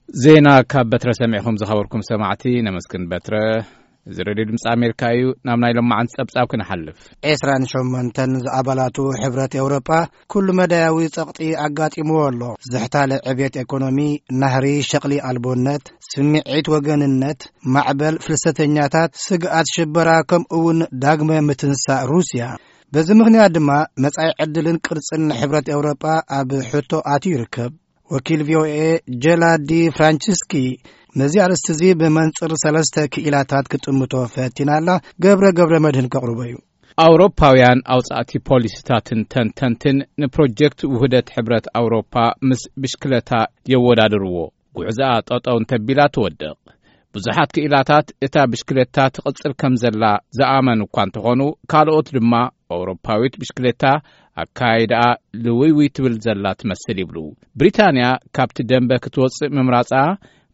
ዜና ካብ በትረ ሰሚዕኹም ዝኸበርኩም ሰማዕቲ ነመስግን በትረ። እዚ ሬድዮ ድምፂ ኣሜሪካ እዩ። ናብ ናይ ሎማዓንቲ ጸብጻብ ክንሓልፍ። ዕስራን ሸሞንተን ዝኣባላቱ ሕብረት ኤውሮጳ ኩሉ መዳያዊ ጸቕጢ ኣጋጢምዎ ኣሎ። ዝሕታለ ዕብየት ኤኮኖሚ፣ ናህሪ ሸቕሊ ኣልቦነት፣ ስምዒት ወገንነት፣ ማዕበል ፍልሰተኛታት፣ ስግኣት ሽበራ፣ ከምኡ እውን ዳግመ ምትንሳእ ሩስያ። በዚ ምኽንያት ድማ መጻኢ ዕድልን ቅርጽን ሕብረት ኤውሮጳ ኣብ ሕቶ ኣትዩ ይርከብ። ወኪል ቪ ኦ ኤ ጀላዲ ፍራንቺስኪ ነዚ ኣርእስቲ እዚ ብመንጽር ሰለስተ ክኢላታት ክጥምቶ ፈቲና ኣላ። ገብረ ገብረ መድህን ከቕርቦ እዩ። ኣውሮፓውያን ኣውጻእቲ ፖሊሲታትን ተንተንትን ንፕሮጀክት ውህደት ሕብረት ኣውሮፓ ምስ ብሽክለታ የወዳድርዎ። ጉዕዞኣ ጠጠው እንተቢላ ትወድቕ። ብዙሓት ክኢላታት እታ ብሽክለታ ትቕጽል ከም ዘላ ዝኣመኑ እኳ እንተኾኑ፣ ካልኦት ድማ ኣውሮፓዊት ብሽክለታ ኣካይዳኣ ልውይውይ ትብል ዘላ ትመስል ይብሉ። ብሪታንያ ካብቲ ደንበ ክትወጽእ ምምራጻ፣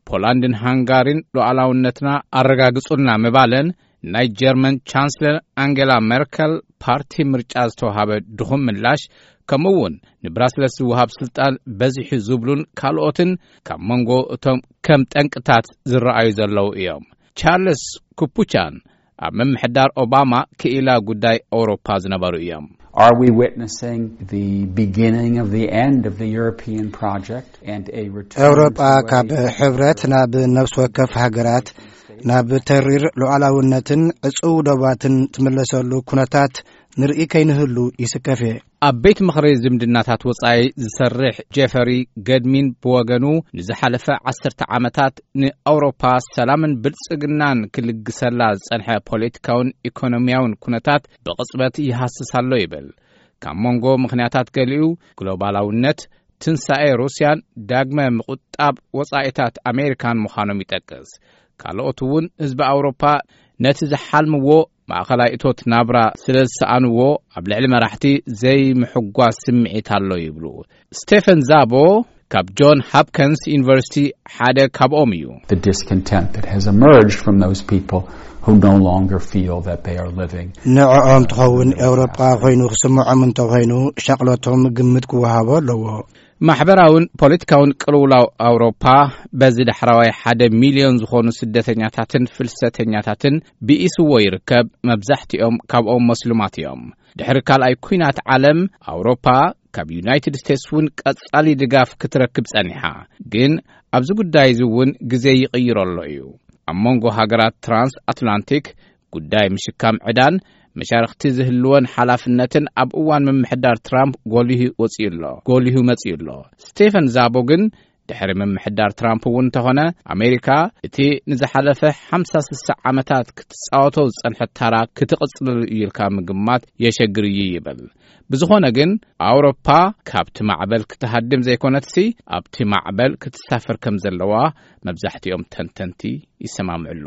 ፖላንድን ሃንጋሪን ሉዓላውነትና ኣረጋግጹልና ምባለን፣ ናይ ጀርመን ቻንስለር ኣንጌላ ሜርከል ፓርቲ ምርጫ ዝተዋሃበ ድኹም ምላሽ፣ ከምኡ እውን ንብራስለስ ዝወሃብ ስልጣን በዚሑ ዝብሉን ካልኦትን ካብ መንጎ እቶም ከም ጠንቅታት ዝረኣዩ ዘለዉ እዮም። ቻርልስ ኩፑቻን ኣብ ምምሕዳር ኦባማ ክኢላ ጉዳይ ኣውሮፓ ዝነበሩ እዮም። Are we witnessing the beginning of the end of the European project and a return ኤውሮጳ to a ካብ ሕብረት ናብ ነፍሲ ወከፍ ሃገራት፣ ናብ ተሪር ሉዓላውነትን ዕጹው ዶባትን ትምለሰሉ ኩነታት ንርኢ ከይንህሉ ይስከፍ እየ። ኣብ ቤት ምኽሪ ዝምድናታት ወጻኢ ዝሰርሕ ጄፈሪ ገድሚን ብወገኑ፣ ንዝሓለፈ ዓሰርተ ዓመታት ንኣውሮፓ ሰላምን ብልጽግናን ክልግሰላ ዝጸንሐ ፖለቲካውን ኢኮኖሚያውን ኩነታት ብቕጽበት ይሃስስ ኣሎ ይብል። ካብ መንጎ ምኽንያታት ገሊኡ፣ ግሎባላውነት፣ ትንሳኤ ሩስያን ዳግመ ምቑጣብ ወጻኢታት ኣሜሪካን ምዃኖም ይጠቅስ። ካልኦት እውን ህዝቢ ኣውሮፓ ነቲ ዝሓልምዎ ማእኸላይ እቶት ናብራ ስለ ዝሰኣንዎ፣ ኣብ ልዕሊ መራሕቲ ዘይምሕጓስ ስምዒት ኣሎ ይብሉ። ስቴፈን ዛቦ ካብ ጆን ሃፕከንስ ዩኒቨርሲቲ ሓደ ካብኦም እዩ። The discontent that has emerged from those people who no longer feel that they are living ንዕኦም ትኸውን ኤውሮጳ ኮይኑ ክስምዖም እንተኾይኑ፣ ሻቕሎቶም ግምት ክወሃቦ ኣለዎ። ማሕበራውን ፖለቲካውን ቅልውላው ኣውሮፓ በዚ ዳሕራዋይ ሓደ ሚልዮን ዝኾኑ ስደተኛታትን ፍልሰተኛታትን ብኢስዎ ይርከብ። መብዛሕትኦም ካብኦም መስሉማት እዮም። ድሕሪ ካልኣይ ኲናት ዓለም ኣውሮፓ ካብ ዩናይትድ ስቴትስ እውን ቀጻሊ ድጋፍ ክትረክብ ጸኒሓ። ግን ኣብዚ ጉዳይ እዚ እውን ግዜ ይቕይሮ ኣሎ እዩ። ኣብ መንጎ ሃገራት ትራንስ ኣትላንቲክ ጉዳይ ምሽካም ዕዳን መሻርኽቲ ዝህልወን ሓላፍነትን ኣብ እዋን ምምሕዳር ትራምፕ ጎሊሁ ወጺኡ ኣሎ፣ ጎሊሁ መጺኡ ኣሎ። ስቴፈን ዛቦ ግን ድሕሪ ምምሕዳር ትራምፕ እውን እንተኾነ፣ ኣሜሪካ እቲ ንዝሓለፈ ሓምሳ ስሳ ዓመታት ክትጻወቶ ዝጸንሐት ታራ ክትቕጽለሉ እዩ ኢልካ ምግማት የሸግር እዩ ይብል። ብዝኾነ ግን ኣውሮፓ ካብቲ ማዕበል ክትሃድም ዘይኮነትሲ ኣብቲ ማዕበል ክትሳፈር ከም ዘለዋ መብዛሕትኦም ተንተንቲ ይሰማምዕሉ።